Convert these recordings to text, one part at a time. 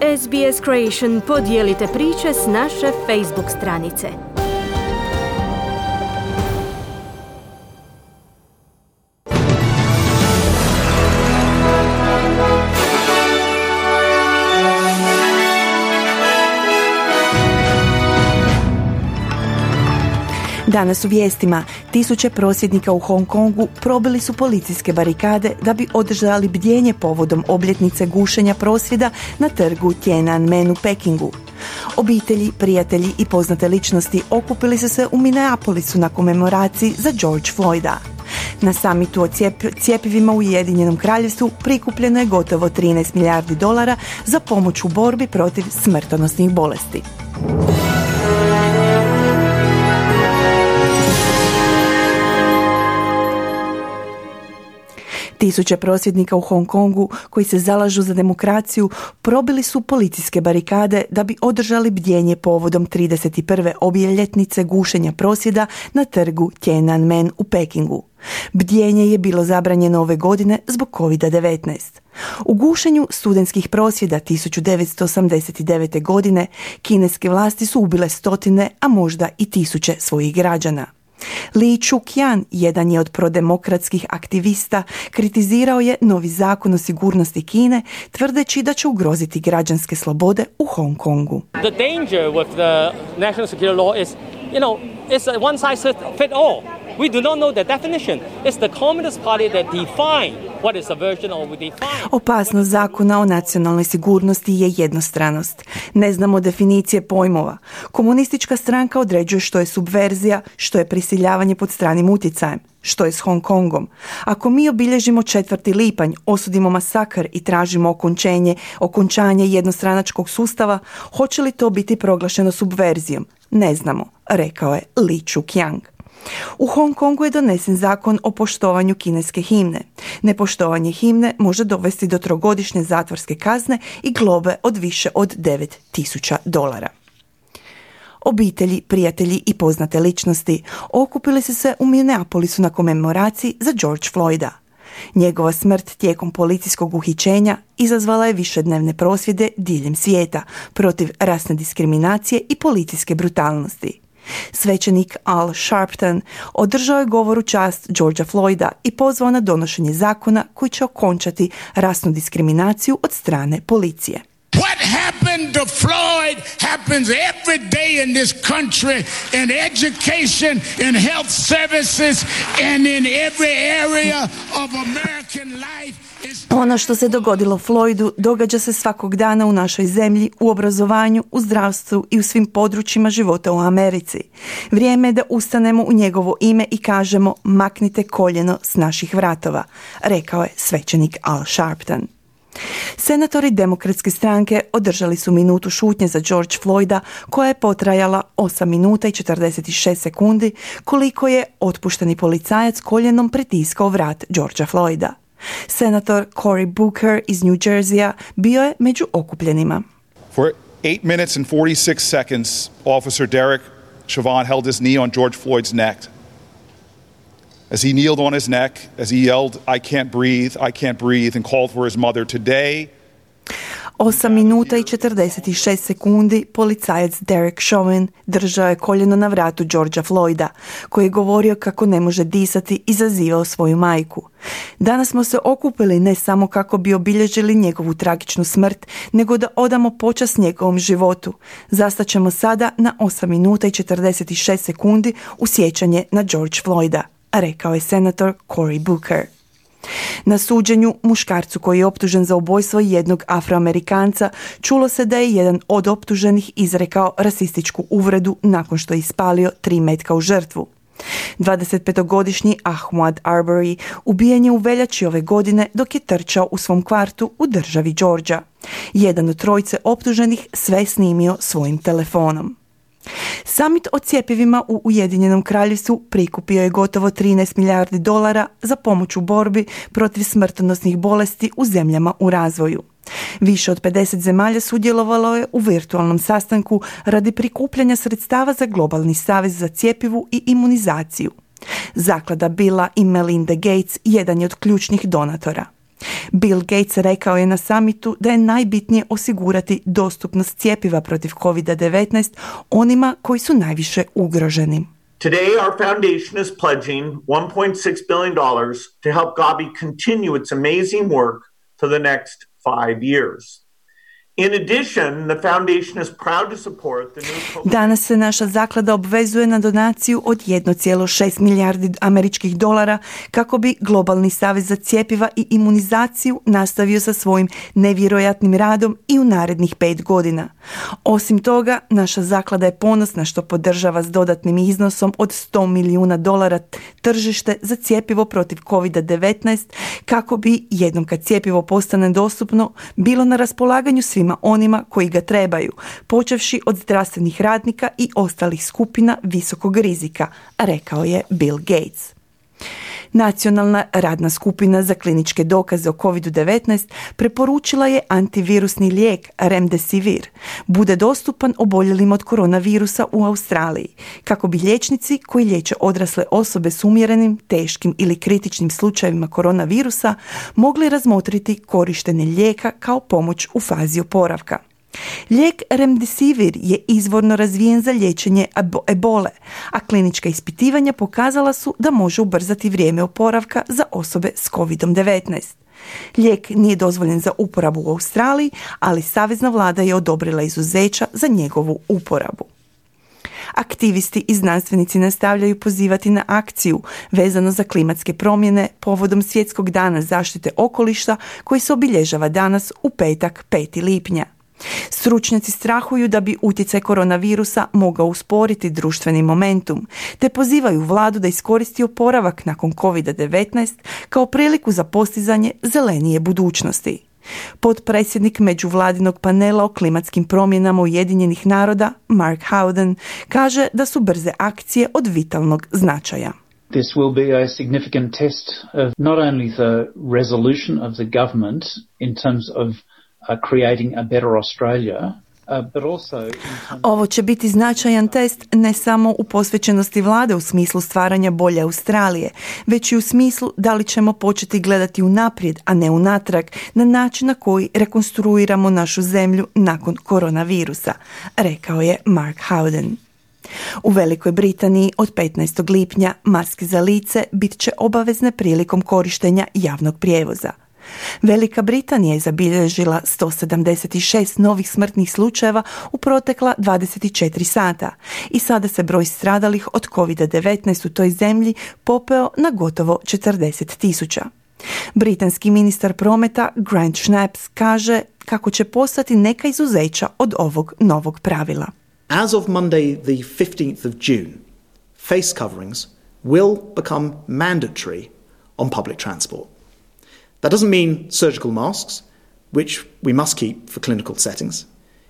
SBS Creation podijelite priče s naše Facebook stranice. Danas u vijestima, tisuće prosvjednika u Hong Kongu probili su policijske barikade da bi održali bdjenje povodom obljetnice gušenja prosvjeda na trgu Tiananmen u Pekingu. Obitelji, prijatelji i poznate ličnosti okupili su se u Minneapolisu na komemoraciji za George Floyda. Na samitu o cjepivima u Ujedinjenom Kraljevstvu prikupljeno je gotovo 13 milijardi dolara za pomoć u borbi protiv smrtonosnih bolesti. Tisuće prosvjednika u Hong Kongu koji se zalažu za demokraciju probili su policijske barikade da bi održali bdjenje povodom 31. obljetnice gušenja prosvjeda na trgu Tiananmen u Pekingu. Bdjenje je bilo zabranjeno ove godine zbog COVID-19. U gušenju studentskih prosvjeda 1989. godine kineske vlasti su ubile stotine, a možda i tisuće svojih građana. Li Chuqian, jedan je od prodemokratskih aktivista, kritizirao je novi zakon o sigurnosti Kine, tvrdeći da će ugroziti građanske slobode u Hong Kongu. The danger with the national security law is, it's a one size fit all. We do not know the definition. It's the Communist Party that define what is subversion or we define. Opasnost zakona o nacionalnoj sigurnosti je jednostranost. Ne znamo definicije pojmova. Komunistička stranka određuje što je subverzija, što je prisiljavanje pod stranim utjecajem, što je s Hong Kongom. Ako mi obilježimo 4. lipanj, osudimo masakr i tražimo okončanje jednostranačkog sustava, hoće li to biti proglašeno subverzijom? Ne znamo, rekao je Li Chuqian. U Hong Kongu je donesen zakon o poštovanju kineske himne. Nepoštovanje himne može dovesti do 3-godišnje zatvorske kazne i globe od više od $9,000. Obitelji, prijatelji i poznate ličnosti okupili su se u Minneapolisu na komemoraciji za George Floyda. Njegova smrt tijekom policijskog uhićenja izazvala je višednevne prosvjede diljem svijeta protiv rasne diskriminacije i policijske brutalnosti. Svećenik Al Sharpton održao je govor u čast Georgea Floyda i pozvao na donošenje zakona koji će okončati rasnu diskriminaciju od strane policije. What happened to Floyd happens every day in this country, in education, in health services, and in every area of American life. Ono što se dogodilo Floydu događa se svakog dana u našoj zemlji, u obrazovanju, u zdravstvu i u svim područjima života u Americi. Vrijeme je da ustanemo u njegovo ime i kažemo maknite koljeno s naših vratova, rekao je svećenik Al Sharpton. Senatori Demokratske stranke održali su minutu šutnje za George Floyda koja je potrajala 8 minuta i 46 sekundi koliko je otpušteni policajac koljenom pritiskao vrat Georgea Floyda. Senator Cory Booker iz New Jerseya bio je među okupljenima. For 8 minutes and 46 seconds, Officer Derek Chauvin held his knee on George Floyd's neck. As he kneeled on his neck, as he yelled, I can't breathe, and called for his mother today. 8 minuta i 46 sekundi policajac Derek Chauvin držao je koljeno na vratu Georgea Floyda, koji je govorio kako ne može disati i zazivao svoju majku. Danas smo se okupili ne samo kako bi obilježili njegovu tragičnu smrt, nego da odamo počast njegovom životu. Zastaćemo sada na 8 minuta i 46 sekundi u sjećanje na George Floyda, rekao je senator Cory Booker. Na suđenju muškarcu koji je optužen za ubojstvo jednog Afroamerikanca čulo se da je jedan od optuženih izrekao rasističku uvredu nakon što je ispalio 3 metka u žrtvu. 25-godišnji Ahmaud Arbery ubijen je u veljači ove godine dok je trčao u svom kvartu u državi Georgia. Jedan od 3 optuženih sve snimio svojim telefonom. Samit o cjepivima u Ujedinjenom Kraljevstvu prikupio je gotovo 13 milijardi dolara za pomoć u borbi protiv smrtonosnih bolesti u zemljama u razvoju. Više od 50 zemalja sudjelovalo je u virtualnom sastanku radi prikupljanja sredstava za globalni savez za cjepivu i imunizaciju. Zaklada Billa i Melinda Gates jedan je od ključnih donatora. Bill Gates rekao je na samitu da je najbitnije osigurati dostupnost cjepiva protiv COVID-19 onima koji su najviše ugroženi. Today, our foundation is pledging $1.6 billion to help Gavi continue its amazing work for the next 5 years. In addition, the foundation is proud to support the new Danas se naša zaklada obvezuje na donaciju od 1,6 milijardi američkih dolara kako bi Globalni savez za cjepiva i imunizaciju nastavio sa svojim nevjerojatnim radom i u narednih 5 godina. Osim toga, naša zaklada je ponosna što podržava s dodatnim iznosom od $100 milijuna tržište za cjepivo protiv COVID-19 kako bi, jednom kad cjepivo postane dostupno, bilo na raspolaganju svima onima koji ga trebaju, počevši od zdravstvenih radnika i ostalih skupina visokog rizika, rekao je Bill Gates. Nacionalna radna skupina za kliničke dokaze o COVID-19 preporučila je antivirusni lijek Remdesivir bude dostupan oboljelim od koronavirusa u Australiji, kako bi liječnici koji liječe odrasle osobe s umjerenim, teškim ili kritičnim slučajevima koronavirusa mogli razmotriti korištenje lijeka kao pomoć u fazi oporavka. Lijek Remdesivir je izvorno razvijen za liječenje ebole, a klinička ispitivanja pokazala su da može ubrzati vrijeme oporavka za osobe s COVID-19. Lijek nije dozvoljen za uporabu u Australiji, ali savezna vlada je odobrila izuzeća za njegovu uporabu. Aktivisti i znanstvenici nastavljaju pozivati na akciju vezano za klimatske promjene povodom Svjetskog dana zaštite okoliša koji se obilježava danas u petak 5. lipnja. Stručnjaci strahuju da bi utjecaj koronavirusa mogao usporiti društveni momentum, te pozivaju vladu da iskoristi oporavak nakon COVID-19 kao priliku za postizanje zelenije budućnosti. Potpredsjednik međuvladinog panela o klimatskim promjenama Ujedinjenih naroda, Mark Howden, kaže da su brze akcije od vitalnog značaja. This will be a significant test of not only the resolution of the government in terms of creating a better Australia, but also Ovo će biti značajan test ne samo u posvećenosti vlade u smislu stvaranja bolje Australije, već i u smislu da li ćemo početi gledati unaprijed, a ne unatrag, na način na koji rekonstruiramo našu zemlju nakon koronavirusa, rekao je Mark Howden. U Velikoj Britaniji od 15. lipnja maske za lice bit će obavezne prilikom korištenja javnog prijevoza. Velika Britanija je zabilježila 176 novih smrtnih slučajeva u protekla 24 sata i sada se broj stradalih od COVID-19 u toj zemlji popeo na gotovo 40.000. Britanski ministar prometa Grant Shapps kaže kako će postati neka izuzeća od ovog novog pravila. As of Monday, the 15th of June, face coverings will become mandatory on public transport. That doesn't mean surgical masks, which we must keep for clinical settings.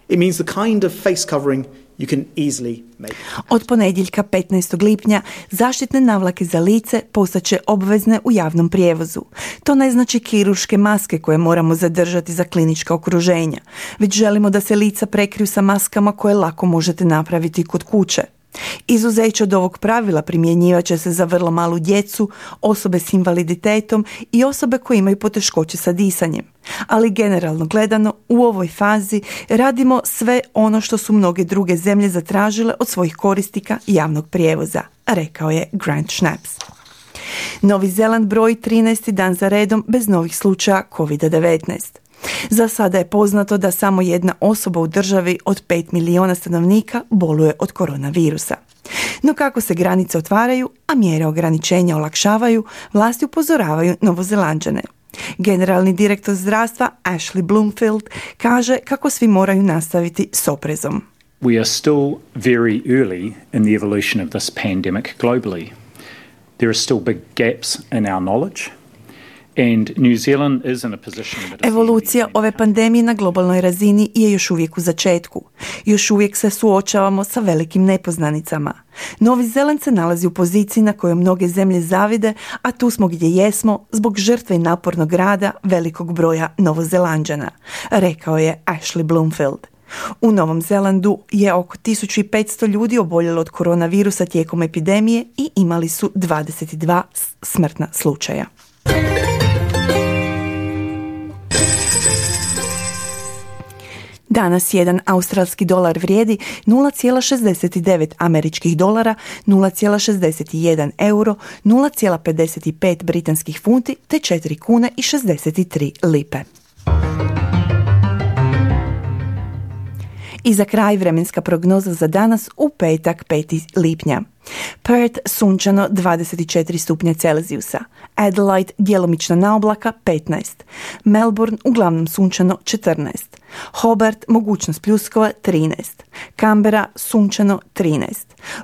It means the kind of face covering you can easily make. Od ponedjeljka 15. lipnja zaštitne navlake za lice postaće obvezne u javnom prijevozu. To ne znači kirurške maske koje moramo zadržati za klinička okruženja, već želimo da se lica prekriju sa maskama koje lako možete napraviti kod kuće. Izuzeće od ovog pravila primjenjivat će se za vrlo malu djecu, osobe s invaliditetom i osobe koje imaju poteškoće sa disanjem. Ali generalno gledano, u ovoj fazi radimo sve ono što su mnoge druge zemlje zatražile od svojih korisnika javnog prijevoza, rekao je Grant Shapps. Novi Zeland broji 13. dan za redom bez novih slučaja COVID-19. Za sada je poznato da samo jedna osoba u državi od 5 milijuna stanovnika boluje od koronavirusa. No kako se granice otvaraju, a mjere ograničenja olakšavaju, vlasti upozoravaju Novozelanđane. Generalni direktor zdravstva Ashley Bloomfield kaže kako svi moraju nastaviti s oprezom. We are still very early in the evolution of this pandemic globally. There are still big gaps in our knowledge. And New Zealand is in a position that is Evolucija ove pandemije na globalnoj razini je još uvijek u začetku. Još uvijek se suočavamo sa velikim nepoznanicama. Novi Zeland se nalazi u poziciji na kojoj mnoge zemlje zavide, a tu smo gdje jesmo zbog žrtve i napornog rada velikog broja Novozelanđana, rekao je Ashley Bloomfield. U Novom Zelandu je oko 1500 ljudi oboljelo od koronavirusa tijekom epidemije i imali su 22 smrtna slučaja. Danas jedan australski dolar vrijedi 0,69 američkih dolara, 0,61 euro, 0,55 britanskih funti te 4 kune i 63 lipe. I za kraj vremenska prognoza za danas u petak 5. lipnja. Perth sunčano 24 stupnja Celzijusa, Adelaide djelomična naoblaka 15, Melbourne uglavnom sunčano 14, Hobart mogućnost pljuskova 13, Canberra sunčano 13,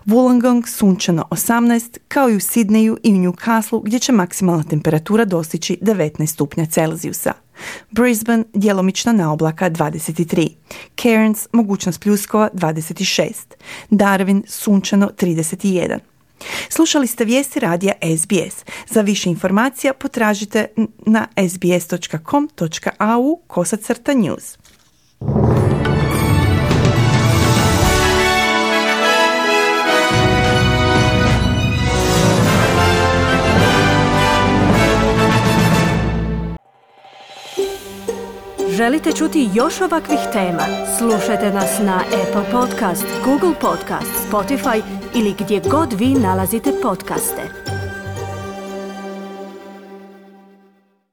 Wollongong sunčano 18, kao i u Sidneju i u Newcastleu gdje će maksimalna temperatura dostići 19 stupnja Celzijusa. Brisbane djelomična naoblaka 23, Cairns mogućnost pljuskova 26, Darwin sunčano 31. Slušali ste vijesti radija SBS. Za više informacija potražite na sbs.com.au/news. Želite čuti još ovakvih tema? Slušajte nas na Apple Podcast, Google Podcast, Spotify ili gdje god vi nalazite podcaste.